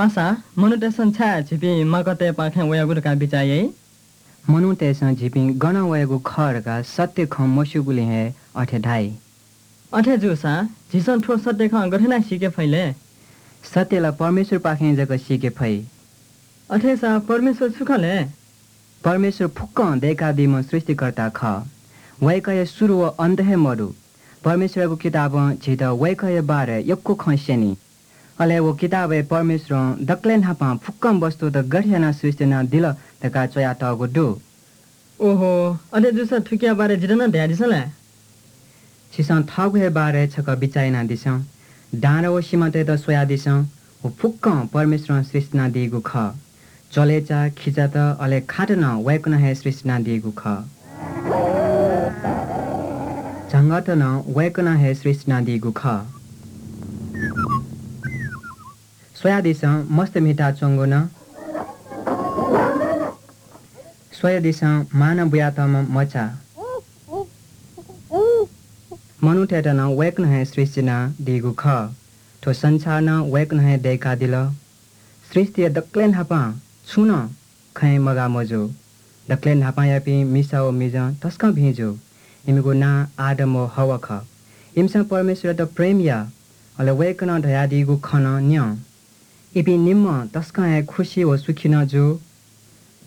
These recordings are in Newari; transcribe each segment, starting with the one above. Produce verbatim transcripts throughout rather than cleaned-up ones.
पासा, मनूतय्‌सं छाय् झीपिं माकःतय्‌पाखें वयागु धकाः बिचाः याइ? मनूतय्‌सं झीपिं गनं वयागु खः धकाः सत्य खँ मस्यूगुलिं हे अथे धाइ। अथे जूसा झीसं थ्व सत्य खँ गथे यानाः सीके फइ ले? सत्य ला परमेश्वरपाखें जक सीके फइ। अथेसा परमेश्वर छु खः ले? परमेश्वर फुक्कं दय्कादीम्ह सृष्टिकर्ता खः। वय्कःया सुरु व अन्त हे मदु। परमेश्वरयागु किताबं झीत वय्कःया बारे यक्व खँ स्यनी। अले व किताबय् परमेश्वरं दकलय् न्हापां फुक्कं वस्तुत गथे यानाः सृष्टि यानादिल धकाः च्वयातःगु दु। ओहो, अथे जूसा थुकिया बारे जितः नं धयादिसँ ला? छिसं थःगु हे बारे छकः बिचाः यानादिसँ। डाँडा व सिमातय्त स्वयादिसँ, व फुक्कं परमेश्वरं सृष्टि यानादीगु खः। चलेचा, खिचात, अले खात नं वय्कलं हे सृष्टि यानादीगु खः। झंगःत नं वय्कलं हे सृष्टि यानादीगु खः। स्वयादिसँ, मस्त म्हिताच्वंगु नं। स्वयादिसँ, मांनं बुयातःम्ह मचा। मनूतय्त नं वय्कलं हे सृष्टि यानादीगु खः। थ्व संसार नं वय्कलं हे दय्कादिल। सृष्टिया दकलय् न्हापां छुं नं खँय् मगाः मजू। दकलय् न्हापांयापिं मिसा व मिजं तसकं भिं जू। इमिगु नां आदम व हव्वा खः। इमिसं परमेश्वरयात प्रेम याः, अले वय्कलं धयादीगु खँ नं न्यं। इपिं निम्हं तसकं हे खुसी व सुखी नं जू।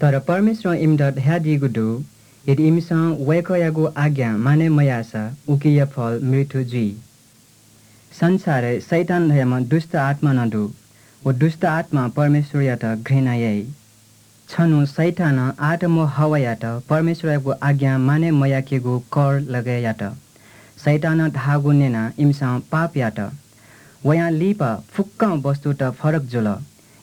तर परमेश्वरं इमित धयादीगु दु, यदि इमिसं वय्कःयागु आज्ञा मानय् मयाःसा उकिया फल मृत्यु जुइ। संसारय् शैतान धयाम्ह दुष्ट आत्मा नं दु। व दुष्ट आत्मां परमेश्वरयात घृणा याइ। छन्हु शैतानं आदम व हव्वायात परमेश्वरयागु आज्ञा मानय् मयाकेगु कर लगय् यात। शैतानं धाःगु न्यनाः इमिसं पाप यात। वयां लिपा फुक्कं वस्तुत फरक जुल।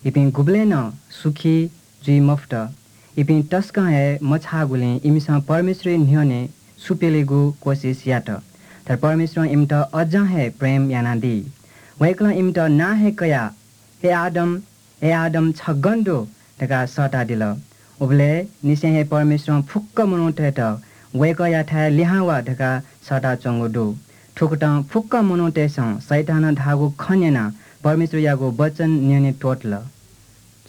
इपिं गुबलें नं सुखी जुइ मफुत। इपिं तसकं हे मछाःगुलिं इमिसं परमेश्वरया न्ह्यःने सुपिलेगु कोसिस यात। तर परमेश्वरं इमित अज्जं हे प्रेम यानादी। वय्कलं इमित नां हे कयाः, "हे आदम, हे आदम, छ गन दु?" धकाः सःतादिल। उबलय् निसें हे परमेश्वरं फुक्क मनूतय्त वय्कःयाथाय् लिहां वा धकाः सःताच्वंगु दु। थुकथं फुक्क मनूतय्सं शैतानं धाःगु खँ न्यनाः परमेश्वरयागु वचन न्यने त्वःतल।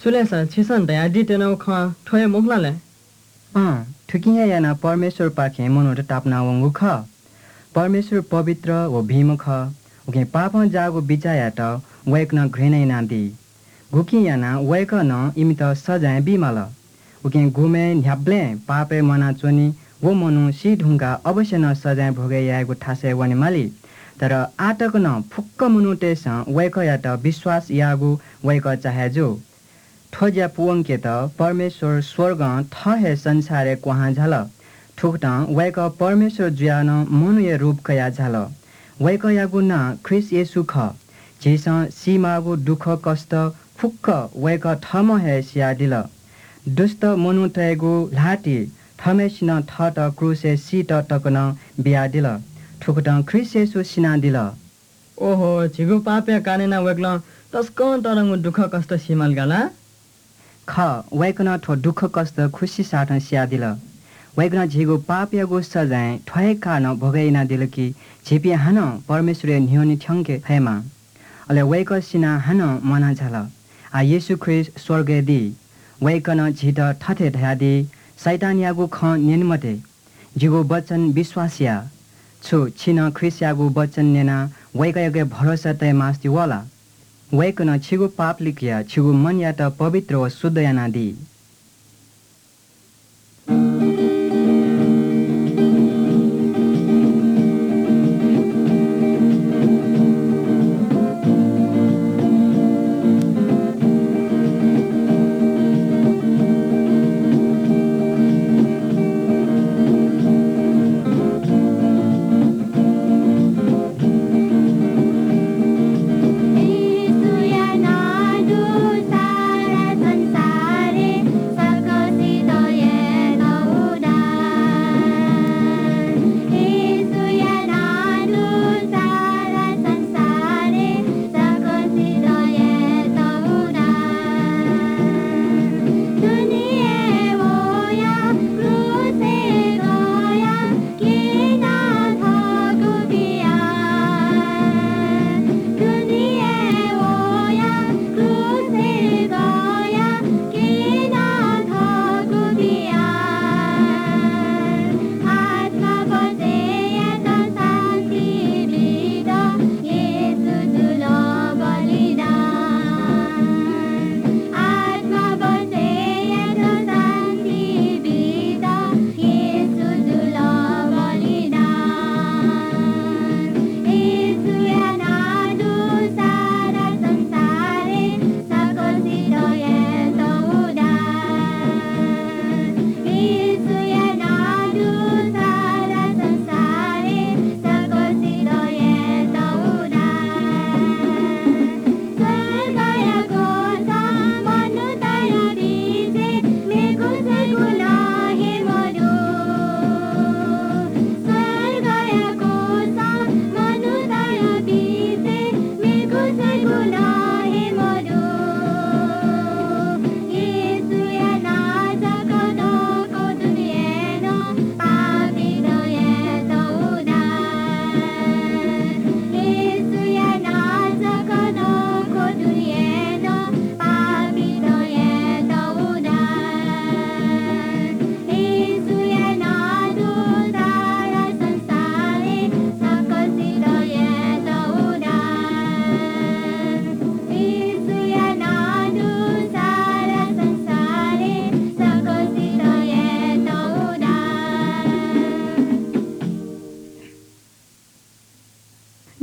छु ले सर, छिसं धयादीत्यनागु खँ थ्व हे मखु ला ले? अँ, थुकिं हे यानाः परमेश्वरपाखें मनूत तापानावंगु खः। परमेश्वर पवित्र व भिंम्ह खः। उकिं पापं जाःगु बिचाःयात वय्कलं घृणा यानादी। गुकिं यानाः वय्कलं इमित सजाँय बीमाल। उकिं गुम्हय् न्ह्याबलें पापय् म्वानाच्वनी, व मनू सी धुंकाः अवश्य नं सजाँय भोगय् यायेगु थासय् वनेमाली। तर आः तक नं फुक्क मनूतय्सं वय्कःयात विश्वास याःगु वय्कः चाहे जू। थ्व ज्या पूवंकेत परमेश्वर स्वर्गं थः हे संसारय् क्वहां झाल। थुकथं वय्कः परमेश्वर जुयाः नं मनूया रूप कयाः झाल। वय्कःयागु नां ख्रीष्ट येशू खः। झीसं सीमाःगु दुःखकष्ट फुक्क वय्कः थःम्हं हे सियादिल। दुष्ट मनूतय्गु ल्हातिइ थःम्हय्सिनं थःत क्रूसय् सीत तक नं बियादिल। थुकथं ख्रीष्ट येशू सिनादिल। ओहो, झीगु पापया कारणं यानाः वय्कलं तसकं तःधंगु दुःखकष्ट सीमाल का ला? खः, वय्कलं थ्व दुःखकष्ट खुसी साथं सियादिल। वय्कलं झीगु पापयागु सजाँय थ्व हे कारणं भोगय् यानादिल कि झीपिं हानं परमेश्वरया न्ह्यःने थ्यंके फयेमा। अले वय्कः सिनाः हानं म्वाना झाल। आः येशू ख्रीष्ट स्वर्गय् दी। वय्कलं झीत थथे धयादी, शैतानयागु खँ न्यने मते। जिगु वचन विश्वास या। छु छिं नं ख्रीष्टयागु वचन न्यनाः वय्कःयाके भरोसा तये मास्ति वः ला? वय्कलं छिगु पाप लिकयाः छिगु मनयात पवित्र व शुद्ध यानादी।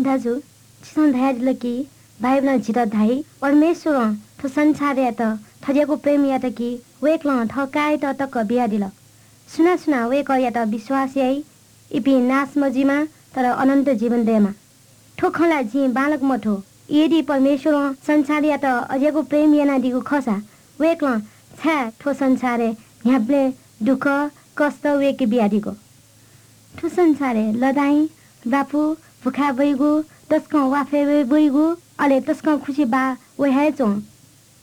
दाजु, छिसं धयादिल कि बाइबलं झीत धाइ, परमेश्वरं थ्व संसारयात थज्याःगु प्रेम यात कि वय्कलं थः काय्‌यात तक बियादिल। सुनां सुनां वय्कःयात विश्वास याइ, इपिं नाश मजुइमा, तर अनन्त जीवन दयेमा। थ्व खँ ला जिं बांलाक मथू। यदि परमेश्वरं संसारयात अज्याःगु प्रेम यानादीगु खःसा, वय्कलं छाय् थ्व संसारय् न्ह्याबलें दुःख, कष्ट वय्के बियादीगु? थ्व संसारय् लडाइँ, ल्वापु, भुखाय् वइगु, तसकं वाफय् वइगु, अले तसकं खुसि बाः वये हे च्वं।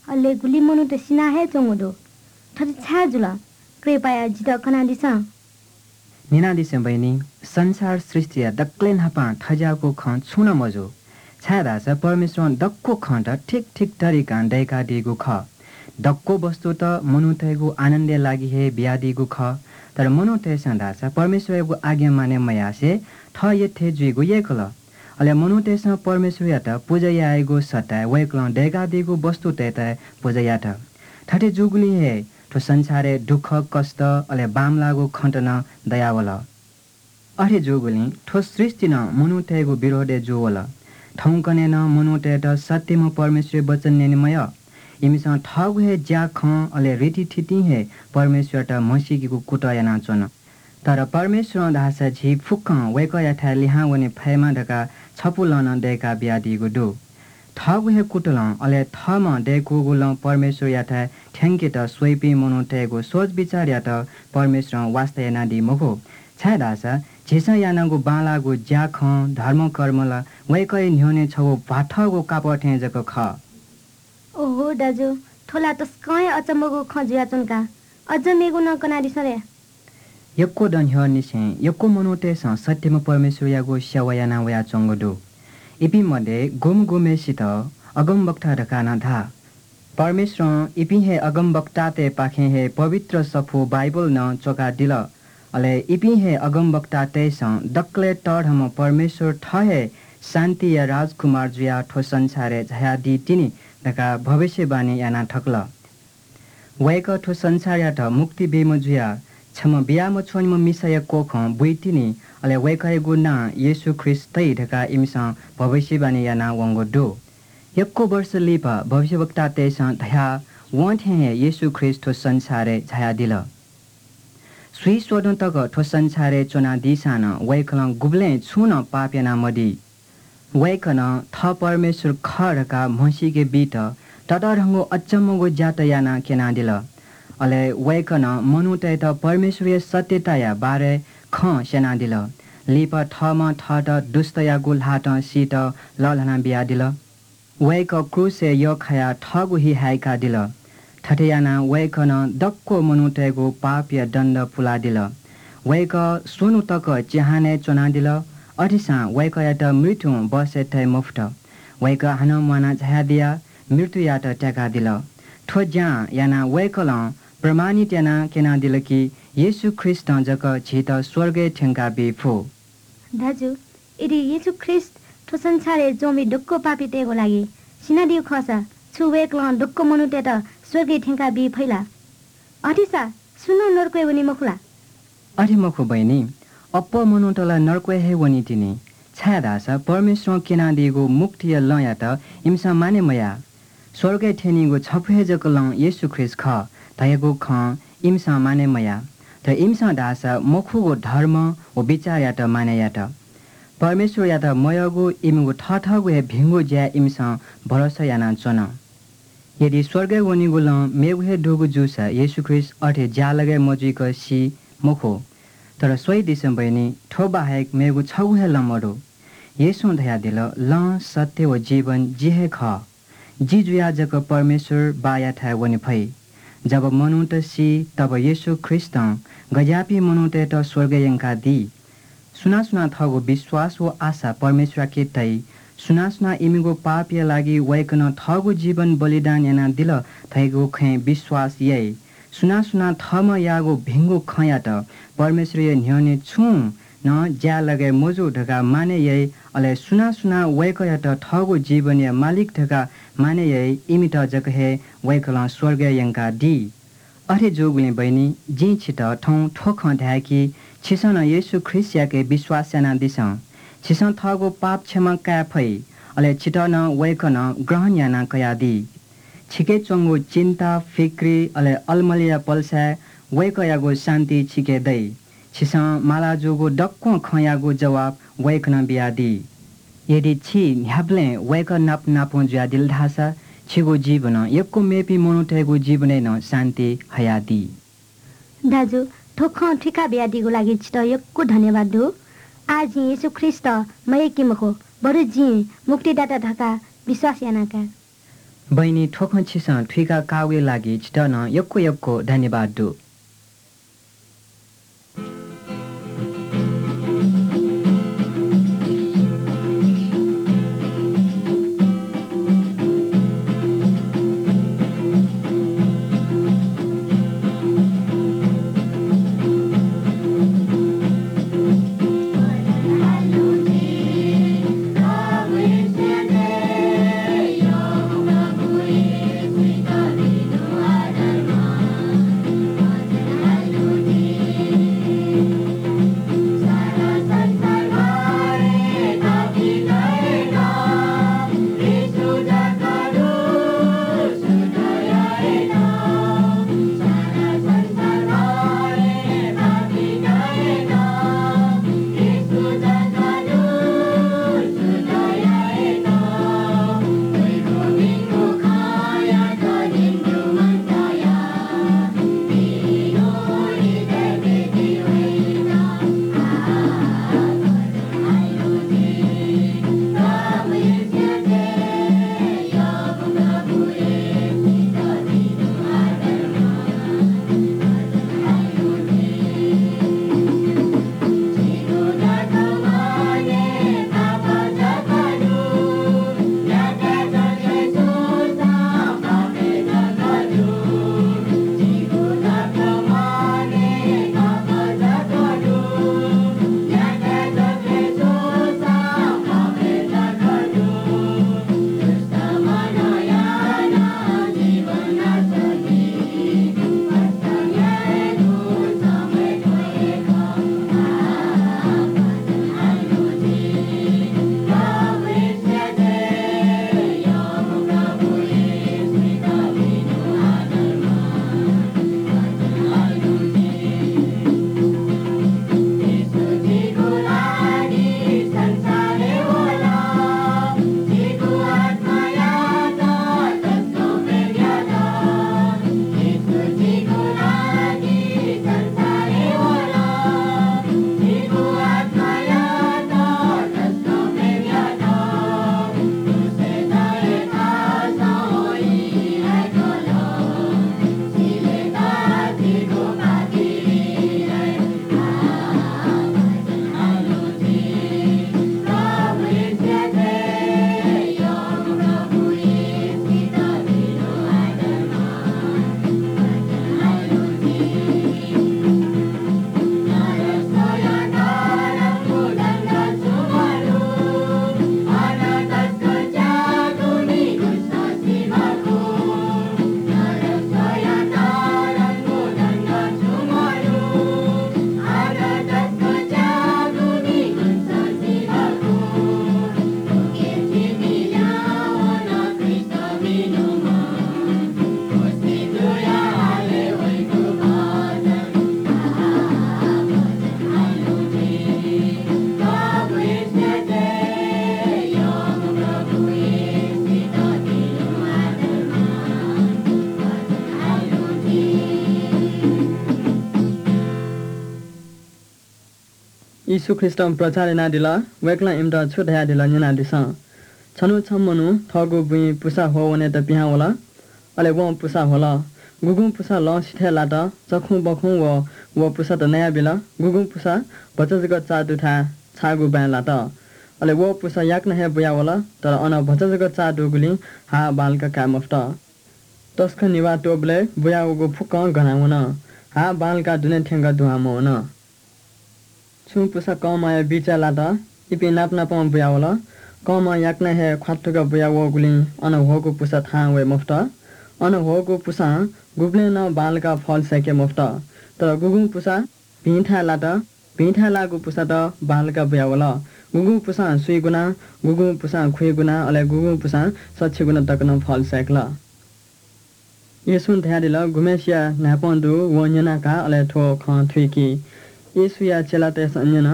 अले गुलि मनूत सिना हे च्वंगु दु। थथे छाय् जुल? कृपया जितः कनादिसँ। न्यनादिसँ बहिनी, संसार सृष्टिया दकलय् न्हापां थज्याःगु खँ छुं नं मजू। छाय्धाःसा परमेश्वरं दक्व खँत ठीक ठीक तरिकां दय्कादीगु खः। दक्व वस्तुत मनूतय्गु आनन्दया लागि हे बियादीगु खः। तर मनूतय्सं धाःसा परमेश्वरयागु आज्ञा मानय् मयासें थः यःथें जुइगु यय्कल। अले मनूतय्सं परमेश्वरयात पुजा यायेगु सट्टाय् वय्कलं दय्कादीगु वस्तुतय्त पुजा यात। थथे जूगुलिं हे थ्व संसारय् दुःख, कष्ट, अले बांमलाःगु खँत नं दयावल। अथे जूगुलिं थ्व सृष्टि नं मनूतय्गु विरोधय् जूवल। थौंकन्हय् नं मनूतय्त सत्यम्ह परमेश्वरया वचन न्यने मयः। इमिसं थःगु हे ज्याखँ अले रीतिथितिं हे परमेश्वरयात म्हसीकेगु कुतः यानाच्वन। तर परमेश्वरं धाःसा झी फुक्कं वय्कःयाथाय् लिहां वने फयेमा धकाः छपु लँ नं दय्का बियादीगु दु। थःगु हे कुतलं, अले थःम्हं दय्कूगु लँ परमेश्वरयाथाय् थ्यंकेत स्वइपिं मनूतय्गु सोच बिचारयात परमेश्वरं वास्ता यानादी मखु। छाय्धाःसा झीसं यानागु बांलाःगु ज्याखँ, धर्मकर्म ला वय्कःया न्ह्यःने छगू भ्वाथःगु कापः थें जक खः। ओहो दाजु, थ्व ला तसकं हे अचम्मगु खँ जुयाच्वन का। अझ मेगु नं कनादिसँ रे। यक्व दँ न्ह्यःनिसें यक्व मनूतय्सं सत्यम्ह परमेश्वरयागु सेवा याना वयाच्वंगु दु। इपिं मध्ये गुम्ह गुम्हय्सित अगमवक्ता धकाः नं धाः। परमेश्वरं इपिं हे अगमवक्तातय्पाखें हे पवित्र सफू बाइबल नं च्वकादिल। अले इपिं हे अगमवक्तातय्सं दकलय् तःधंम्ह परमेश्वर थः हे शान्तिया राजकुमार जुयाः थ्व संसारय् झायादी तिनि धकाः भविष्यवाणी याना थकल। वय्कः थ्व संसारयात मुक्ति बीम्ह जुयाः छम्ह बिया मछ्वनिम्ह मिसाया कोखं बुइतिनि, अले वय्कःयागु नां येशू ख्रीष्ट तइ धकाः इमिसं भविष्यवाणी याना वंगु दु। यक्व वर्ष लिपा भविष्यवक्तातय्सं धयाः वं थें हे येशू ख्रीष्ट थ्व संसारय् झायादिल। स्वीस्वदँ तक थ्व संसारय् च्वनादीसां नं वय्कलं गुबलें छुं नं पाप यानामदी। वय्कलं थः परमेश्वर खः धकाः म्हसीके बीत ततःधंगु अचम्मगु ज्यात यानाः क्यनादिल। अले वय्कलं मनूतय्त परमेश्वरया सत्यताया बारे खँ स्यनादिल। लिपा थःम्हं थःत दुष्टयागु ल्हातं सीत लःल्हाना बियादिल। वय्कः क्रूसय् यःखायाः थःगु हि हाय्कादिल। थथे यानाः वय्कलं दक्व मनूतय्गु पापया दण्ड पुलादिल। वय्कः स्वन्हु तक चिहानय् च्वनादिल। अथेसां वय्कःयात मृत्युं बसय् तये मफुत। वय्कः हानं म्वाना झायादियाः मृत्युयात त्याकादिल। थ्व ज्यां यानाः वय्कलं प्रमाणित यानाः क्यनादिल कि येशू ख्रीष्टं जक झीत स्वर्गय् थ्यंका बी फु। दाजु, यदि येशू ख्रीष्ट थ्व संसारय् च्वंपिं दक्व पापीतय्गु लागि सिनादीगु खःसा, छु वय्कलं दक्व मनूतय्त स्वर्गय् थ्यंका बी फइ ला? अथेसा सुं नं नरकय् वनी मखु ला? अथे मखु बहिनी, अप्वः मनूत ला नरकय् हे वनी तिनि, छाय्धाःसा परमेश्वरं क्यनादीगु मुक्तिया लँयात इमिसं मानय् मयाः। स्वर्गय् थ्यनीगु छपु हे जक लँ येशू ख्रीष्ट खः धयागु खँ इमिसं मानय् मयाः। तर इमिसं धाःसा मखुगु धर्म व बिचारयात मानय् यात। परमेश्वरयात मयःगु इमिगु थःथःगु हे भिंगु ज्याय् इमिसं भरोसा यानाच्वन। यदि स्वर्गय् वनीगु लँ मेगु हे दुगु जूसा येशू ख्रीष्ट अथे ज्यालगय् मजुइक सी मखु। तर स्वयादिसँ बहिनी, थ्व बाहेक मेगु छगू हे लँ मदु। येशूं धयादिल, लँ, सत्य व जीवन जि हे खः। जि जुयाः जक परमेश्वर बाःयाथाय् वने फइ। जब मनूत सी, तब येशू ख्रीष्टं गज्याःपिं मनूतय्त स्वर्गय् यंकादी। सुनां सुनां थःगु विश्वास व आशा परमेश्वरयाके तइ, सुनां सुनां इमिगु पापया लागि वय्कलं थःगु जीवन बलिदान यानादिल धइगु खँय् विश्वास याइ, सुनां सुनां थःम्हं याःगु भिंगु खँयात परमेश्वरया न्ह्यःने छुं नं ज्यालगय् मजू धकाः मानय् याइ, अले सुनां सुनां वय्कःयात थःगु जीवनया मालिक धकाः मानय् याइ, इमित जक हे वय्कलं स्वर्गय् यंकादी। अथे जूगुलिं बहिनी, जिं छित थौं थ्व खँ धाये कि छिसं नं येशू ख्रीष्टयाके विश्वास यानादिसँ। छिसं थःगु पाप क्षमा काये फइ, अले छितः नं वय्कलं ग्रहण याना कयादी। छिके च्वंगु चिन्ता, फिक्री, अले अलमलिया पलसाय् वय्कःयागु शान्ति छिके दइ। छिसं माला जूगु दक्वं खँयागु जवाब वय्कलं बियादी। यदि छि न्ह्याबलें वय्कः नाप नापं जुयादिल धाःसा, छिगु जीवनं यक्व मेपिं मनूतय्गु जीवनय् नं शान्ति हयादी। दाजु, थ्व खँ थुइका बियादीगु लागि छितः यक्व धन्यवाद दु। आः जिं येशू ख्रीष्ट मयय्के मखु, बरु जिं मुक्तिदाता धकाः विश्वास याना काये। बहिनी, थ्व खँ छिसं थुइका काःगुया लागि छितः नं यक्व यक्व धन्यवाद दु। येशू ख्रीष्टं प्रचार यानादिल, वय्कलं इमित छु धयादिल न्यनादिसँ। छन्हु छम्ह मनू थःगु बुँइ पुसा ह्वः वनेत पिहां वल। अले वं पुसा ह्वल। गुगुं पुसा लँ सिथय् लात, चखुं बखुं व, व पुसात नयाबिल। गुगुं पुसा भचा जक चाः दुथाय् छाःगु बाँय् लात। अले व पुसा याकनं हे बुयावल, तर अन भचा जक चाः दुगुलिं हाः बांलाक काये मफुत। तसकं निभाः त्वःबलय् बुयावःगु फुक्कं गना वन। हाः बांलाकाः दुने थ्यंक दुहां मवन। छुं पुसा कःमाया बिचय् लात, इपिं नाप नापं बुयावल। कःमां याकनं हे ख्वात्तुक बुयावःगुलिं अन ह्वःगु पुसा थाहां वये मफुत। अन ह्वःगु पुसां गुबलें नं बांलाकाः फल सय्के मफुत। तर गुगुं पुसा भिंथाय् लात, भिंथाय् लाःगु पुसात बांलाकाः बुयावल। गुगुं पुसां स्वीगुना, गुगुं पुसां खुइगुना, अले गुगुं पुसां सच्छि गुना तक नं फल सय्‌कल। येशूं धयादिल, "गुम्हय्‌सिया न्हाय्‌पं दु, वं न्यना का, अले थ्व खँ थुइकी।" येशूया चेलातय्‌सं न्यन,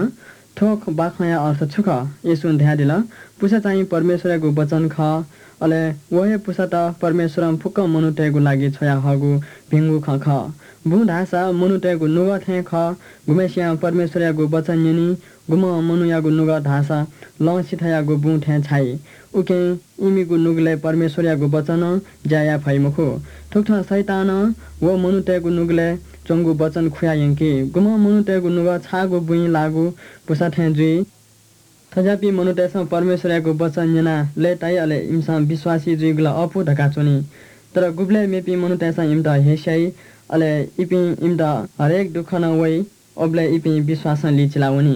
"थ्व बाखंया अर्थ छु खः?" येशूं धयादिल, "पुसा चाहिँ परमेश्वरयागु वचन खः, अले व हे पुसात परमेश्वरं फुक्क मनूतय्‌गु लागि छ्वयाहःगु भिंगु खँ खः।" बुँ धाःसा मनूतय्‌गु नुगः थें खः। गुम्हय्‌सियां परमेश्वरयागु वचन न्यनी, गुम्ह मनूयागु नुगः धाःसा लँ सिथयागु बुँ थें छाइ। उकिं इमिगु नुगलय् परमेश्वरयागु वचनं ज्या याये फइ मखु। थुकथं शैतानं व मनूतय्‌गु नुगलय् च्वंगु वचन खुया यंकी। गुम्ह मनूतय्‌गु नुगः छाःगु बुँइ लाःगु पुसा थें जुइ। थज्याःपिं मनूतय्‌सं परमेश्वरयागु वचन न्यनाः लय्‌ताइ, अले इमिसं विश्वासी जुइगु ला अःपु धकाः च्वनी। तर गुबलय् मेपिं मनूतय्‌सं इमित हेस्याइ, अले इपिं इमित हरेक दुःखं वइ, उबलय् इपिं विश्वासं लिचिला वनी।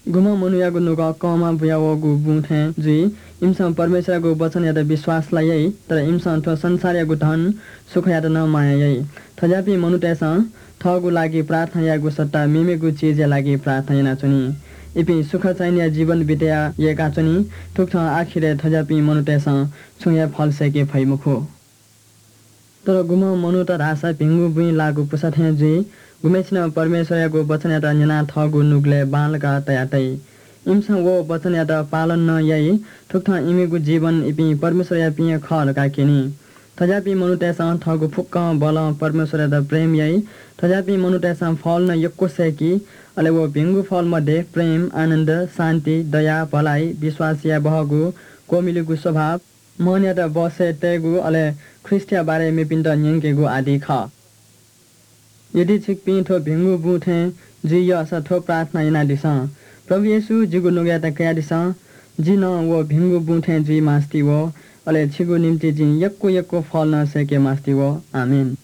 गुम्ह मनूयागु नुगः कंमा बुयावःगु बुँ थें जुइ। इमिसं परमेश्वरयागु वचनयात विश्वास ला याइ, तर इमिसं थ्व संसारयागु धन सुखयात नं माया याइ। थज्याःपिं मनूतय्‌सं थःगु लागि प्रार्थना यायेगु सट्टा मेमेगु चिजया लागि प्रार्थना यानाच्वनी। इपिं सुख चाहिनेया जीवन बितेया यय्‌काच्वनी। थुकथं आखिरय् थज्याःपिं मनूतय्‌सं छुं हे फल सय्‌के फइ मखु। तर गुम्ह मनूत धाःसा भिंगु बुँइ लाःगु पुसा थें जुइ। गुम्हय्‌सिनं परमेश्वरयागु वचनयात न्यनाः थःगु नुगलय् बांलाक तया तइ। इमिसं व वचनयात पालन नं याइ। थुकथं इमिगु जीवन इपिं परमेश्वरयापिं हे खः धकाः क्यनी। थज्याःपिं मनूतय्‌सं थःगु फुक्कं बलं परमेश्वरयात प्रेम याइ। थज्याःपिं मनूतय्‌सं फल नं यक्व सय्‌की। अले व भिंगु फल मध्ये प्रेम, आनन्द, शान्ति, दया, भलाइ, विश्वास याये बहःगु, क्वमिलिगु स्वभाव, मनयात बसय् तयेगु, अले ख्रीष्टया बारे मेपिन्त न्यंकेगु आदि खः। यदि छिकपिं थ्व भिंगु बुँ थें जुइ यःसा थ्व प्रार्थना यानादिसँ, "प्रभु येशू, जिगु नुगःयात कयादिसँ, जि नं व भिंगु बुँ थें जुइ मास्ति वः, अले छिगु निंतिं जिं यक्व यक्व फल नं सय्‌के मास्ति वः।" आमेन।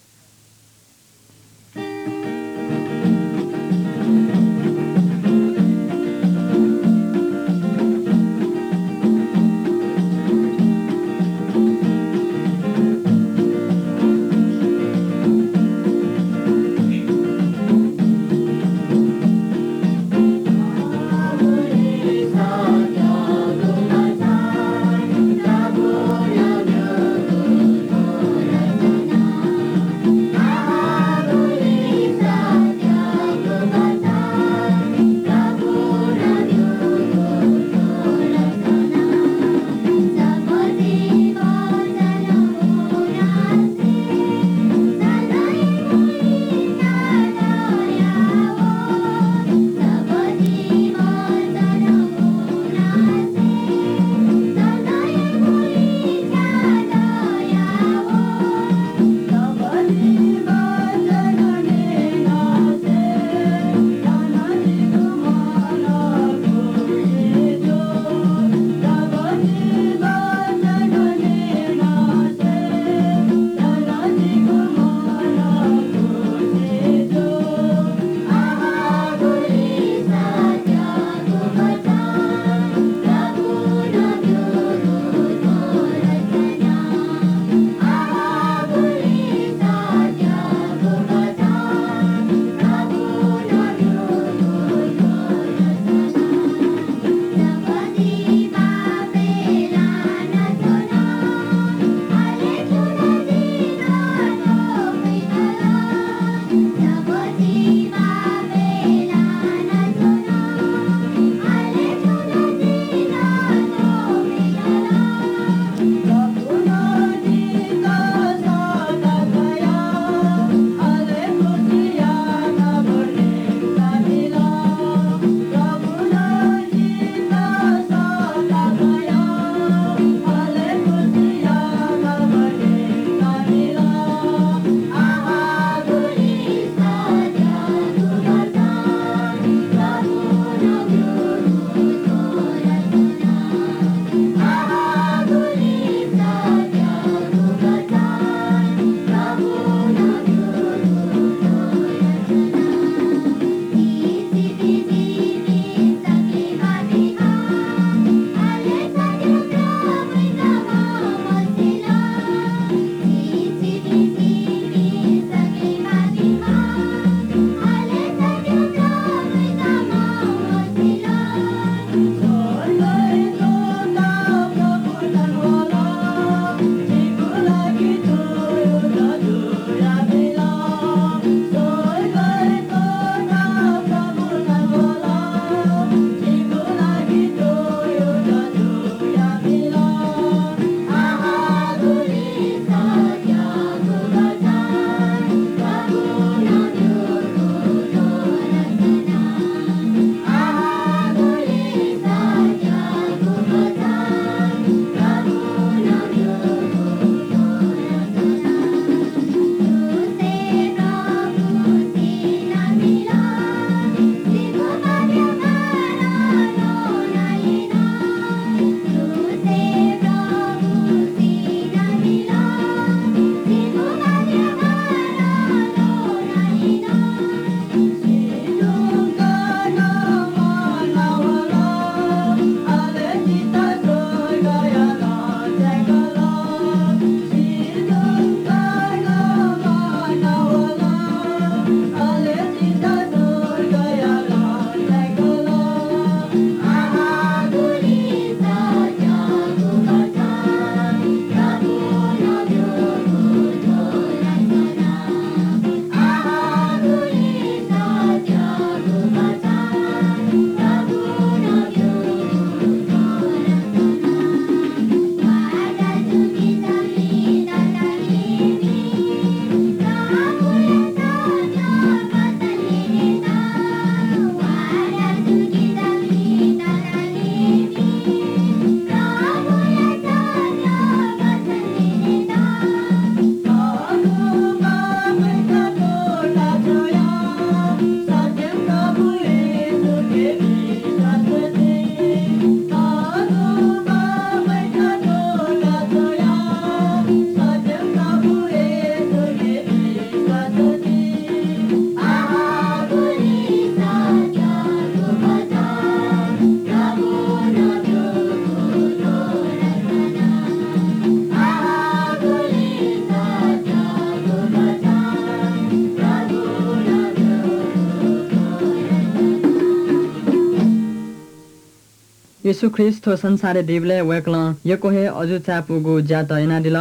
येशू ख्रीष्ट थ्व संसारय् दीबलय् वय्कलं यक्व हे अजू चाय्‌पुगु ज्यात यानादिल।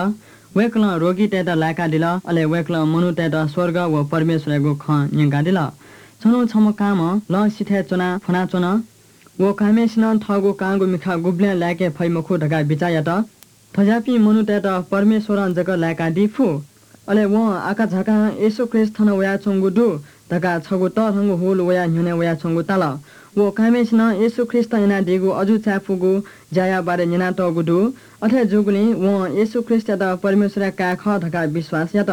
वय्कलं रोगीतय्‌त लाय्‌कादिल, अले वय्कलं मनूतय्‌त स्वर्ग व परमेश्वरयागु खँ न्यंकादिल। छन्हु छम्ह कांम्ह लँ सिथय् च्वनाः फ्वनाच्वन। व कांम्हय्‌सिनं थःगु कांगु मिखा गुबलें लाय्‌के फइ मखु धकाः बिचाः यात। थज्याःपिं मनूतय्‌त परमेश्वरं जक लाय्‌कादी फु। अले वं आकाझाकां येशू ख्रीष्ट थन वयाच्वंगु दु धकाः छगू तःधंगु हुल वयाः न्ह्यःने वयाच्वंगु ताल। व कांम्हय्‌सिनं येशू ख्रीष्टं यानादीगु अजू चाय्‌पुगु ज्याया बारे न्यनातःगु दु। अथे जूगुलिं वं येशू ख्रीष्टयात परमेश्वरया काय् खः धकाः विश्वास यात।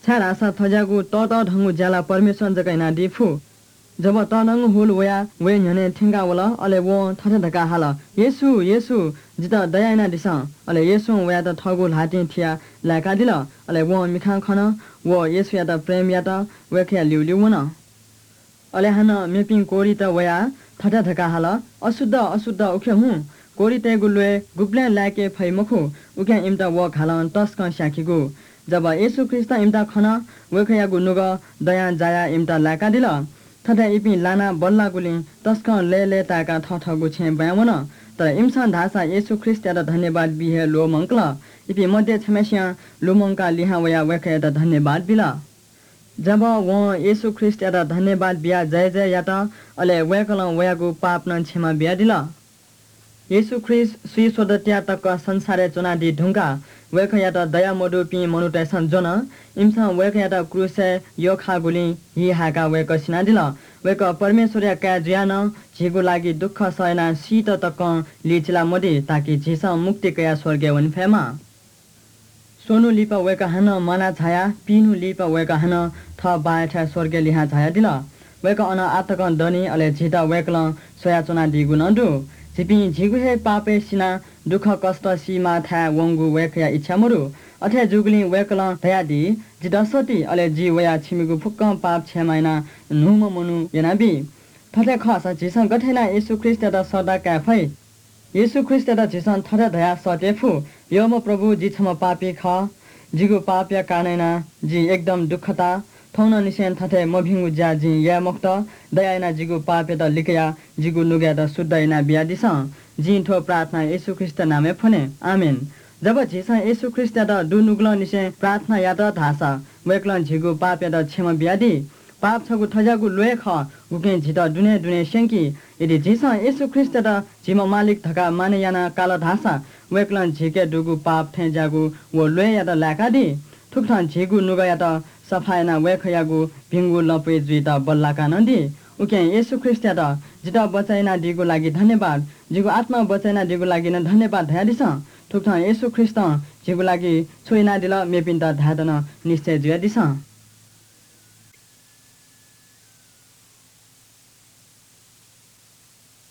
छाय्‌धाःसा थज्याःगु तःतःधंगु ज्या ला परमेश्वरं जक यानादी फु। जब तःधंगु हुल वयाः वया न्ह्यःने थ्यंकाः वल, अले वं थथे धकाः हाल, "येशू, येशू, जितः दया यानादिसँ।" अले येशूं वयात थःगु ल्हातिं थियाः लाय्‌कादिल। अले वं मिखां खन, व येशूयात प्रेम यात, वय्‌कःया ल्यूल्यू वन। अले हानं मेपिं कोह्रित वयाः थथे धकाः हाल, "अशुद्ध, अशुद्ध, उखे हुँ।" कोह्रितय्‌गु ल्वय् गुबलें लाय्‌के फइ मखु, उकिं इमित व घालं तसकं स्याखिगु। जब येशू ख्रीष्टं इमित खन, वय्‌कःयागु नुगः दयां जायाः इमित लाय्‌कादिल। थथे इपिं लानाः बल्लाःगुलिं तसकं लय्‌लय्‌ताय्‌काः थःथःगु छेँय् ब्वाँय् वन। तर इमिसं धाःसा येशू ख्रीष्टयात धन्यवाद बी हे ल्वःमंकल। इपिं मध्ये छम्हय्‌सियां लुमंकाः लिहां वयाः वय्‌कःयात धन्यवाद बिल। जब वं येशू ख्रीष्टयात धन्यवाद बियाः जयजय यात, अले वय्‌कलं वयागु पाप नं क्षमा बियादिल। येशू ख्रीष्ट स्वीस्वदँतिया तक संसारय् च्वनादी धुंकाः वय्‌कःयात दया मदुपिं मनूतय्‌सं ज्वन। इमिसं वय्‌कःयात क्रूसय् यख्खाःगुलिं हि हाय्‌काः वय्‌कः सिनादिल। वय्‌कः परमेश्वरया काय् जुयाः नं झीगु लागि दुःख सह यानाः सीत तकं लिचिला मदी, ताकि झीसं मुक्ति कयाः स्वर्गय् वने फयेमा। स्वन्हु लिपा वय्‌कः हानं म्वाना झायाः पीन्हु लिपा वय्‌कः हानं थः बाःयाथाय् स्वर्गय् लिहां झायादिल। वय्‌कः अन आः तकं दनि, अले झीत वय्‌कलं स्वयाच्वनादीगु नं दु। झीपिं झीगु हे पापय् सिनाः दुःखकष्ट सीमाःथाय् वंगु वय्‌कःया इच्छा मदु। अथे जूगुलिं वय्‌कलं धयादी, "जि दसति, अले जि वयाः छिमिगु फुक्कं पाप क्षमा यानाः न्हूम्ह मनू यानाबी।" थथे खःसा झीसं गथे यानाः येशू ख्रीष्टयात सःता काये फइ? येशू ख्रीष्टयात झीसं थथे धयाः सःते फु, "यःम्ह प्रभु, जि छम्ह पापी खः। जिगु पापया कारणं यानाः जिं एकदम दुःख ताः। थौंनंनिसें थथे मभिंगु ज्या जिं याये मखुत। दया यानाः जिगु पापयात लिकयाः जिगु नुगःयात शुद्ध यानाः बियादिसँ।" जिं थ्व प्रार्थना येशू ख्रीष्टया नामय् फ्वने। आमेन। जब झीसं येशू ख्रीष्टयात दुनुगलंनिसें प्रार्थना यात धाःसा वय्‌कलं झीगु पापयात क्षमा बियादी। पाप छगू थज्याःगु ल्वय् खः, उकिं झीत दुने दुने स्यंकी। यदि झीसं येशू ख्रीष्टयात झीम्ह मालिक धकाः मानय् यानाः काल धाःसा वय्‌कलं झीके दुगु पाप थें ज्याःगु व ल्वय्‌यात लाय्‌कादी। थुकथं झीगु नुगःयात सफा यानाः वय्‌कःयागु भिंगु लँपुइ जुइत बल्लाका नं दी। उकिं येशू ख्रीष्टयात जितः बचय् यानादीगु लागि धन्यवाद, जिगु आत्मा बचय् यानादीगु लागि नं धन्यवाद धयादिसँ। थुकथं येशू ख्रीष्टं झीगु लागि छु यानादिल मेपिन्त धायेत नं निश्चय जुयादिसँ।